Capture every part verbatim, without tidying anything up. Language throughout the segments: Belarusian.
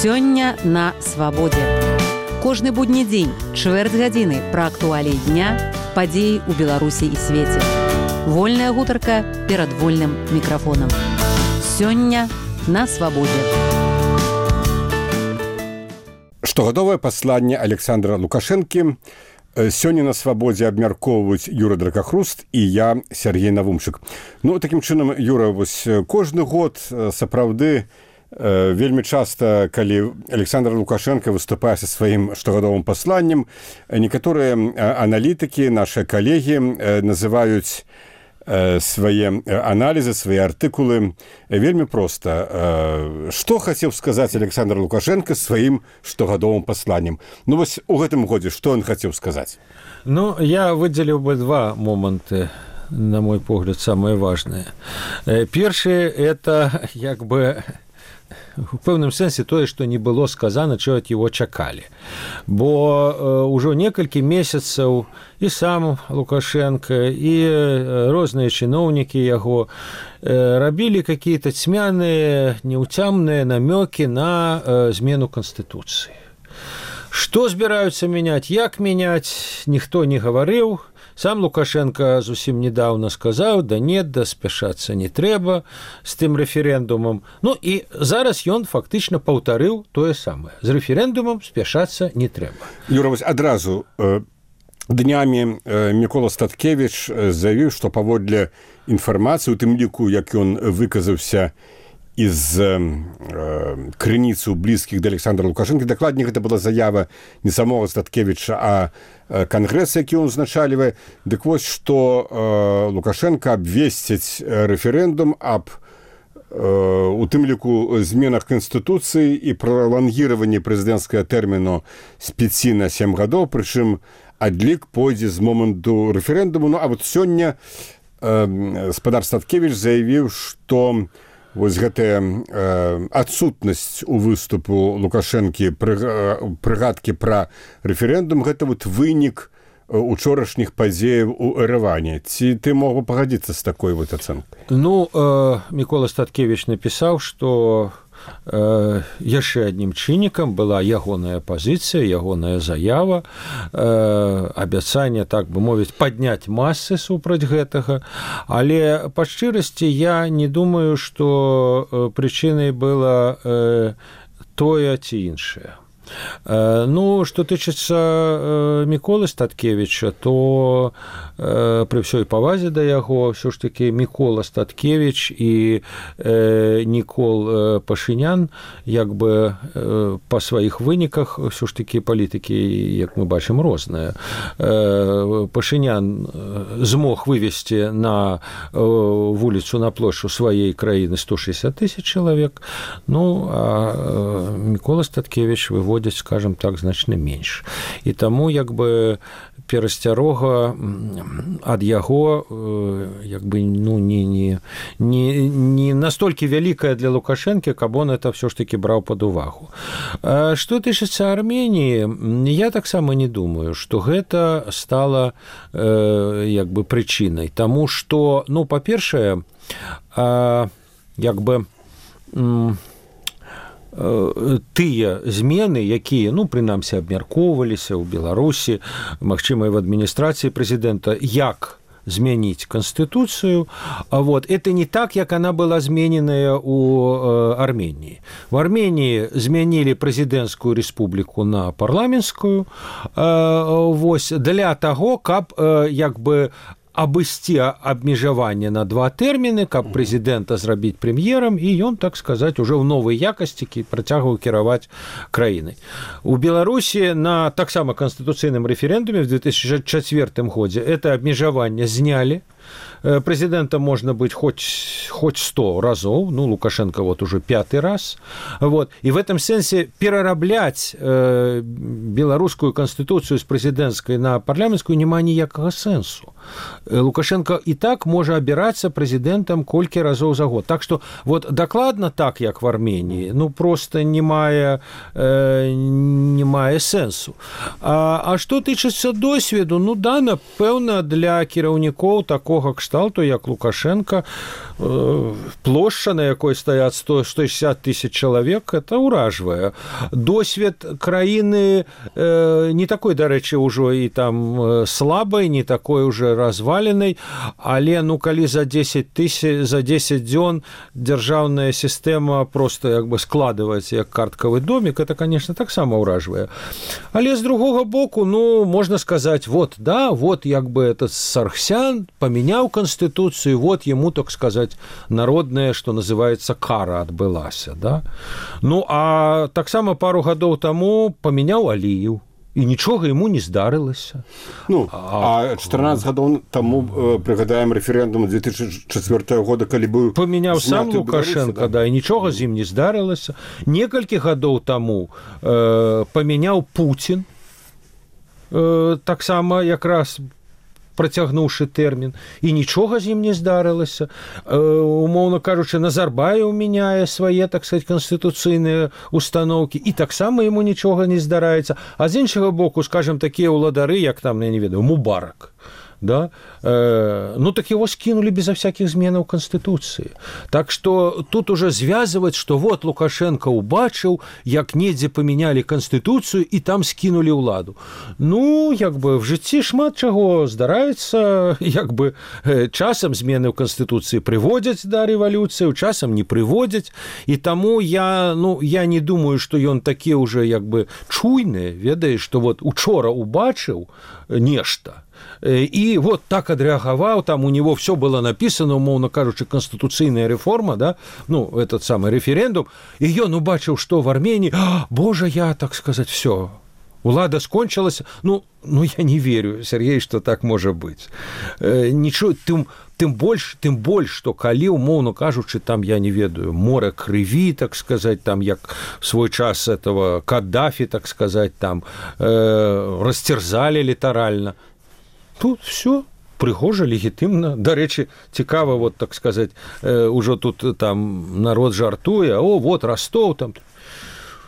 Сёння на свабодзе. Кожны будні дзень, чвэрць гадзіны пра актуаліі дня, падзеі ў Беларусі і свеце. Вольная гутарка перад вольным мікрафонам. Сёння на свабодзе. Штогадовае пасланне Александра Лукашэнкі. Сёння на свабодзе абмяркоўваюць Юра Дракахруст і я, Сергей Навумчык. Ну, такім чынам, Юра, вось кожны год сапраўды вельмі часта, калі Александр Лукашенко выступае са сваім штогадовым пасланнем, некаторыя аналітыкі, нашы калегі называюць свае аналізы, свае артыкулы вельмі проста. Што хацеў сказаць Александр Лукашенко сваім штогадовым пасланнем? Ну, вось у гэтым годзе што ён хацеў сказаць? Ну, я выдзеліў бы два моманты, на мой погляд, самые важные. Першы, это, як бы, у пэўным сэнсе тое, што не было сказана, чого ад яго чакалі. Бо э, ўжо некалькі месяцаў і сам Лукашенко, і розныя чыноўнікі яго э, рабілі какие-то цьмяныя, неўцямныя намёкі на э, змену Канстытуцыі. Што збіраюцца мяняць, як мяняць, ніхто не гаварыў. Сам Лукашенко зусім недавно сказаў, да нет, да спяшацца не трэба з тым рэферэндумам. Ну і зараз ён фактычна паўтарыў тое самае. З рэферэндумам спяшацца не трэба. Юра, вось адразу э, днямі э, Мікола Статкевіч заявіў, што паводле інфармацыі, у тым ліку, як ён выказаўся из э, крыніцу блізкіх да Александра Лукашэнкі. Дакладней, гэта была заява не самого Статкевіча, а э, кангрэс, які ён узначальвае. Дык вось, што э, Лукашенко абвесціць рэферэндум аб э, у тым ліку зменах Канстытуцыі і пралангіраванні прэзідэнцкага тэрміну з пяці на сем гадоў, прычым адлік пойдзе з моманту рэферэндуму. Ну, а вот сёння э, спадар Статкевіч заявіў, што вось гэтая э, адсутнасць у выступу Лукашэнкі прыгадкі пра рэферэндум, гэта вот вынік учорашніх падзеяў у Эрэване. Ці ты мог бы пагадзіцца з такой вот ацэнкай? Ну, э, Мікола Статкевіч напісаў, што э, яшчэ аднім чыннікам была ягоная пазіцыя, ягоная заява, э, абяцанне, так бы мовіць, падняць масы супраць гэтага. Але па шчырасці я не думаю, што э, прычынай была э, тое ці іншае. Ну, что тычыцца э, Міколы Статкевіча, то э, пры ўсёй павазе да яго ўсё ж такі Мікола Статкевіч і э, Нікол э, Пашынян, як бы э, па сваіх выніках ўсё ж такі палітыкі, як мы бачым, розныя. Э, Пашынян змог вывесці на э, вуліцу, на плошчу сваей краіны сто шэсцьдзесят тысяч чалавек. Ну, а э, Мікола Статкевіч выводзіць, скажем так, значна менш. І таму, як бы, перасцярога ад яго, як бы, ну, не, не, не, не настолькі вялікая для Лукашэнкі, каб он это ўсё ж такі браў пад увагу. А што тычыцца Арменіі, я таксама не думаю, што гэта стала, э, як бы, прычынай. Таму што, ну, па-першае, а, як бы, м- тыя змены, якія, ну, прынамсі, абмяркоўваліся ў Беларусі, магчыма, і в адміністрацыі прэзідэнта, як змяніць Канстытуцыю, а вот это не так, як она была змененая у Арменіі. В Арменіі змянілі прэзідэнцкую рэспубліку на парламенцкую, вось, для таго, каб, як бы, абысці абмежаванне на два тэрміны, каб прэзідэнта зрабіць прэм'ерам, і ён, так сказаць, уже ў новай якасці працягваў кіраваць краінай. У Беларусі на таксама канстытуцыйным рэферэндуме в две тысячи четвёртым годзе это абмежаванне знялі. Президентом можно быть хоть, хоть сто разов, ну, Лукашенко вот уже пятый раз, вот, и в этом сенсе перараблять э, белорусскую конституцию с президентской на парламентскую нема ніякага сенсу. Лукашенко и так может обираться президентом колькі разов за год. Так что вот докладно так, як в Армении, ну, просто не мае, э, не мае сенсу. А, а что тычыцца досведу, ну, да, напэўна, для кіраўнікоў такого кшталту, як Лукашенко, плошча, на якой стаят сто шестьдесят тысяч чалавек, это ўражвае. Досвед краіны не такой, дарэчы, ўжо і там слабай, не такой уже разваленай, але ну калі за дзесяць тысяч, за дзесяць дзён дзяржаўная сістэма просто як бы складваецца як карткавы домик, это, конечно, таксама ўражвае. Але з другога боку, ну, можно сказать, вот, да, вот як бы этот Саргсян поменял конституцию, вот ему, так сказать, народная, что называется, кара отбылася, да. Ну, а таксама пару гадоў таму поменял Алиев, і нічога ему не здарылася. Ну, а чатырнаццаць гадоў таму э, прыгадаем рэферэндум две тысячи четвёртого года, калі быў памяняў сам Лукашенко, да, і нічога з ім не здарылася. Некалькі гадоў таму э, памяняў Путін, э, таксама якраз працягнуўшы тэрмін, і нічога з ім не здарылася. Э, умоўна кажучы, Назарбаев мяняе свае, так сказать, канстытуцыйныя установкі, і таксама яму нічога не здараецца. А з іншага боку, скажем, такія ўладары, як там, я не ведаю, Мубарак, да? э, ну так его скинули безо всяких зменаў Конституции. Так что тут уже связывать, что вот Лукашенко убачыў, як недзе поменяли Конституцию и там скинули ўладу. Ну, як бы в жыцці шмат чаго здараецца, як бы э, часам змены ў Конституции приводят до революции, часам не приводят. И тому я, ну, я не думаю, что ён такі уже як бы чуйны, ведаеш, что вот учора убачыў нешта, и вот так отреагаваў, там у него все было написано, умоўно кажучы, конституцыйная реформа, да, ну, этот самый референдум, и ён убачыў, что в Армении, боже, я, так сказать, все, улада скончилась, ну, ну, я не верю, Сергей, что так может быть. Ничего, тым, тым больш, тым больш, что калі, умоўно кажучы, там, я не ведаю, море крыві, так сказать, там, як в свой час этого Каддафи, так сказать, там, э, растерзали літаральна. Тут все прыгожа, легітымна. Дарэчы, цікава, вот, так сказать, э, ужо тут там народ жартуе, о, вот Ростов там.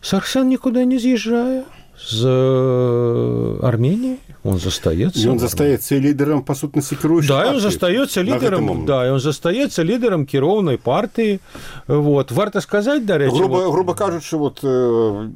Саргсян никуда не съезжая з Армении, он застаецца. Он застаецца лідерам, па сутнасці, кіруючай партии. Да, он застаецца лідерам, да, он застаецца лідерам кіроўнай партыі. Вот. Варта сказаць, дарэчы... Груба, вот... груба кажучы, вот, в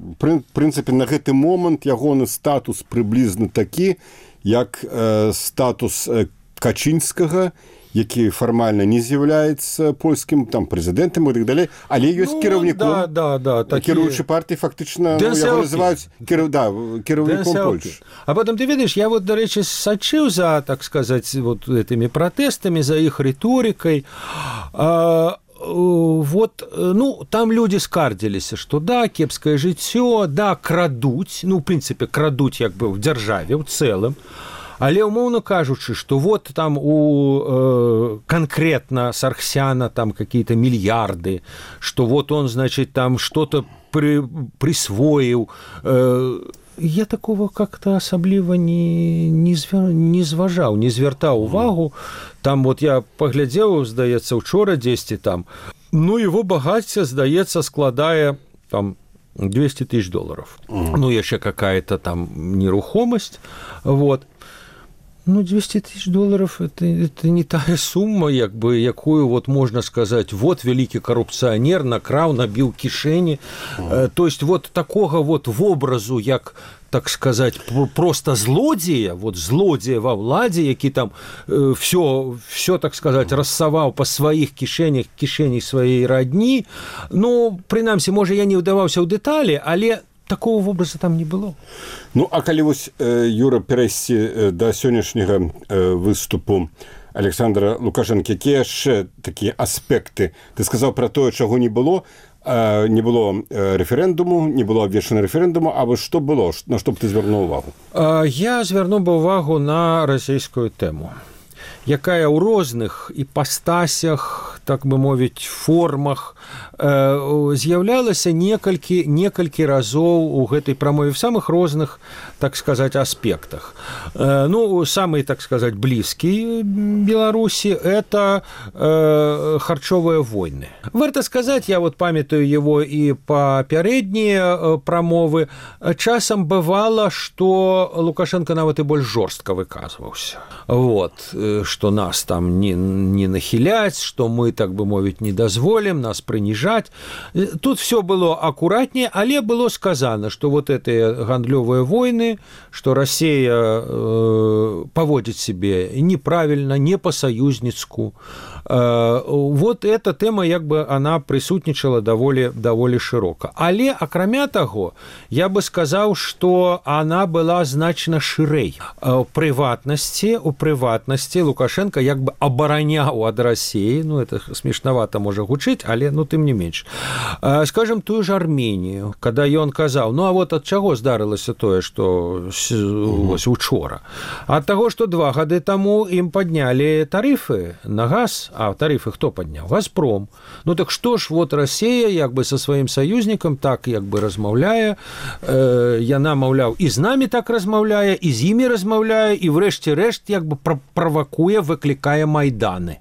прынцыпе, на гэты момант ягоны статус прыблізна такі, як э, статус э, Качынскага, які фармальна не з'яўляецца польскім там прэзідэнтам і так далей, але ёсць ну, кіраўніком, да, да, да, такі... кіруючай партыі фактычна ну, яго называюць кіраў... да, кіраўніком Польшчы. А потом ты ведаешь, я вот, дарэчы, сачыў за, так сказать, вот этими протестами, за іх рыторыкай. А... Вот, ну, там люди скардзіліся, что да, кепскае жыццё, да, крадуць, ну, в принципе, крадуць як бы в дзяржаве ў цэлым, але умоўно кажучы, что вот там у э, конкретно Саргсяна там какие-то миллиарды, что вот он, значит, там что-то при, присвоил, э, я такого как-то асабліва не, не, звер... не зважаў, не звяртаў увагу. Там вот я паглядзеў, здаецца, учора дзесьці там, ну, его багацце, здаецца, складае там двести тысяч долларов. Mm. Ну, яшчэ какая-то там нерухомасць, вот. Ну, двести тысяч долларов это, это не тая сумма, як бы, якую вот можно сказать, вот великий коррупционер накраў, набіў кішэні. Mm. То есть вот такого вот в образу, як, так сказать, просто злодзея, вот злодзея во владзе, які там э, все, все, так сказать, рассаваў по сваіх кішэнях, кішэнях сваей родні. Ну, прынамсі, можа, я не ўдаваўся ў дэталі, але такого вобраза там не было. Ну, а калі вось, Юра, перайсці да сённяшняга выступу Александра Лукашенко, якія яшчэ такія аспекты? Ты сказаў пра тое, чаго не было, не было рэферэндуму, не было абвешчана рэферэндуму, а вось што было? На што б ты звярнуў увагу? Я звярнуў бы ўвагу на расійскую тэму, якая ў розных іпастасях, так бы мовіць, формах э, з'яўлялася некалькі, некалькі разоў у гэтай прамове в самых розных, так сказать, аспектах. Э, ну, самый, так сказать, близкий Беларуси – это э, харчовые войны. Варто сказать, я вот памятаю его и папярэднія прамовы, часам бывало, что Лукашенко нават и больш жорстка выказваўся. Вот, что нас там не, не нахиляць, что мы мы, так бы мовіць, не дазволім нас прыніжаць. Тут все было акуратнее, але было сказано, что вот эти гандлёвые войны, что Россия э, поводит себе неправильно, не по-союзницку. Э, вот эта тема, як бы, она присутнічала даволі, даволі широко. Але, акрамя таго, я бы сказал, что она была значна шырэй. У прыватнасці, у прыватнасці Лукашенко як бы абараняў ад России, ну, это смешновато можа гучыць, але, ну, тым не менш. Э, скажем, тую ж Армению, когда ён казаў, ну, а вот ад чаго здарылася тое, что вось учора? Ад таго, что два гады таму ім паднялі тарифы на газ, а тарифы хто падняў? Газпром. Ну, так што ж, вот Россия, як бы, со сваім саюзнікам так, як бы, размаўляе, э, яна, маўляў, і з намі так размаўляе, і з імі размаўляе, і врэшце рэшт, як бы, правакуе, выклікае майданы.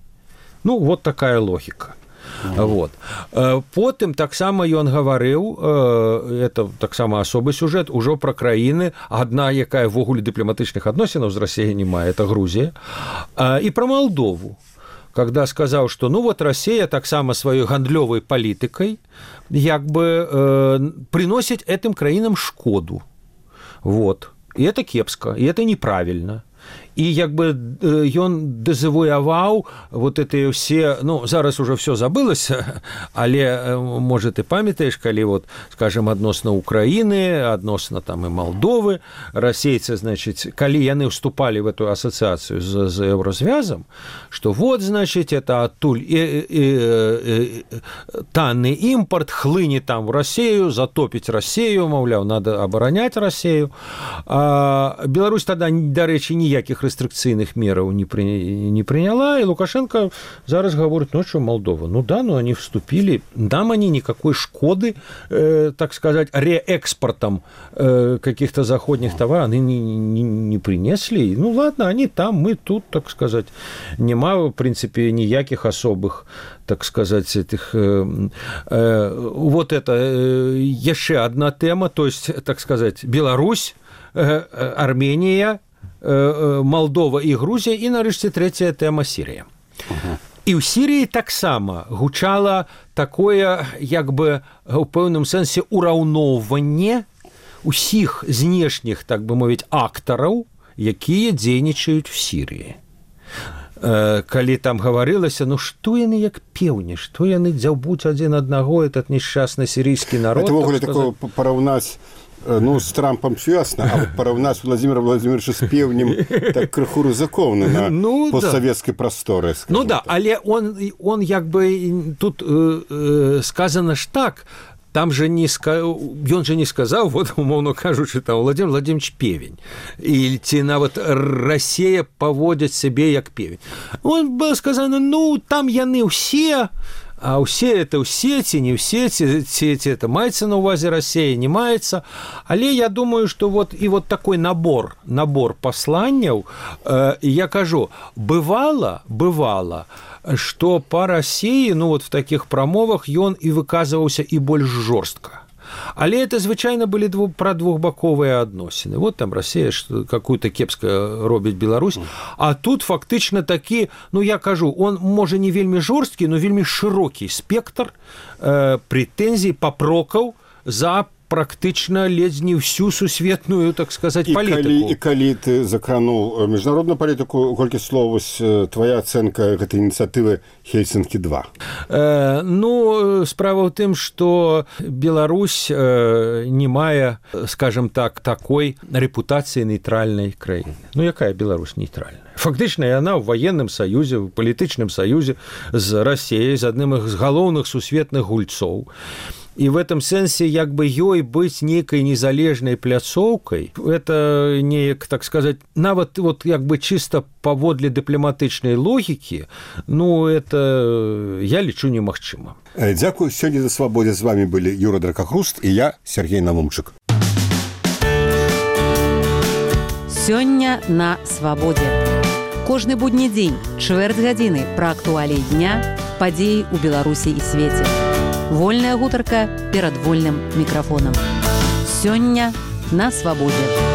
Ну, вот такая логіка. Mm-hmm. Вот. Потым таксама ён гаварыў, это таксама асобы сюжэт, ужо пра краіны, адна, якая ввогуле дыпламатычных адносінаў з Расіяй не мае, это Грузія, і пра Малдову, когда сказаў, што ну вот Россия таксама сваёй гандлёвай палітыкай як бы э, приносіць этим краінам шкоду. Вот. І это кепска, і это неправільна. І як бы ён дэзавуяваў вот эти все, ну, зараз уже все забылася, але, может, ты памятаешь, калі вот, скажем, адносна Украины, адносна там и Молдовы, расейцы, значит, калі яны вступали в эту ассоциацию з, з Еврозвязом, что вот, значит, это оттуль и, и, и, танный импорт хлыне там в Россию, затопить Россию, мовляў, надо оборонять Россию. А Беларусь тогда, до речи, ніяких рестрикцыйных мераў не, при, не приняла, и Лукашенко зараз говорит, ну что, Молдова, ну да, ну они вступили, нам они никакой шкоды, э, так сказать, реэкспортом э, каких-то заходних товаров они не, не, не принесли. Ну ладно, они там, мы тут, так сказать, нема, в принципе, никаких особых, так сказать, этих... Э, э, вот это э, еще одна тема, то есть, так сказать, Беларусь, э, Армения, Молдова і Грузія, і нарэшце трэцяя тэма Сірія. Uh-huh. І ў Сірыі таксама гучала такое, як бы, у пэўным сэнсе ураўноўванне усіх знешніх, так бы мовіць, актараў, якія дзейнічаюць в Сірыі. Калі там гаварылася, ну што яны як пеўні, што яны дзяўбуць адзін аднаго, этот несчастны сірыйскі народ. Это ввогуле такое параўнаць, ну, с Трампом все ясно, а вот параўнаць Владимира Владимировича с певнем так крыху рызыкоўна на ну, постсоветской да. просторе. Ну да, так. Але он, он як бы тут э, э, сказано ж так, там же не ён же не сказаў, вот, умоўно кажучы, там Владимир Владимирович певень, і ці нават Россия поводит себе як певень. Он было сказано, ну, там яны ўсе, а ўсе это ўсе, ці не ўсе, ці, ці, ці это маецца на увазе Россия, не маецца. Але я думаю, что вот і вот такой набор, набор пасланняў, э, я кажу, бывала, бывала, что по России, ну вот в таких прамовах ён і выказываўся і больш жорстка. Але это, звычайна, былі дву, пра двухбаковыя адносіны. Вот там Россия какую-то кепска робіць Беларусь, а тут фактычна такі, ну я кажу, он можа не вельмі жорсткі, но вельмі шырокі спектр э, прэтэнзій, папрокаў за практычна ледзь не всю сусветную, так сказать, і палітыку. Калі, і калі ты закрануў міжнародную палітыку, колькі слоў, твоя ацэнка гэтай ініцыятывы Хельсінкі два? Э, ну, справа ў тым, што Беларусь э, не мае, скажем так, такой рэпутацыі нейтральнай краіны. Ну, якая Беларусь нейтральная? Фактычна яна ў ваенным саюзе, ў палітычным саюзе з Расіяй, з адным з галоўных сусветных гульцоў. И в этом сенсе, як бы ёй быть некой незалежной пляцоўкой, это не, так сказать, нават вот як бы чисто паводле дыпламатычнай логікі, ну, это я лічу немагчыма. Дзякую. Сёння на Свабодзе з вами былі Юра Дракахруст і я, Сергей Навумчык. Сёння на Свабодзе. Кожны будні дзень, чвэрць гадзіны пра актуаліі дня, падзеі ў Беларусі і свеце. Вольная гутарка перад вольным мікрафонам. Сёння на Свабодзе.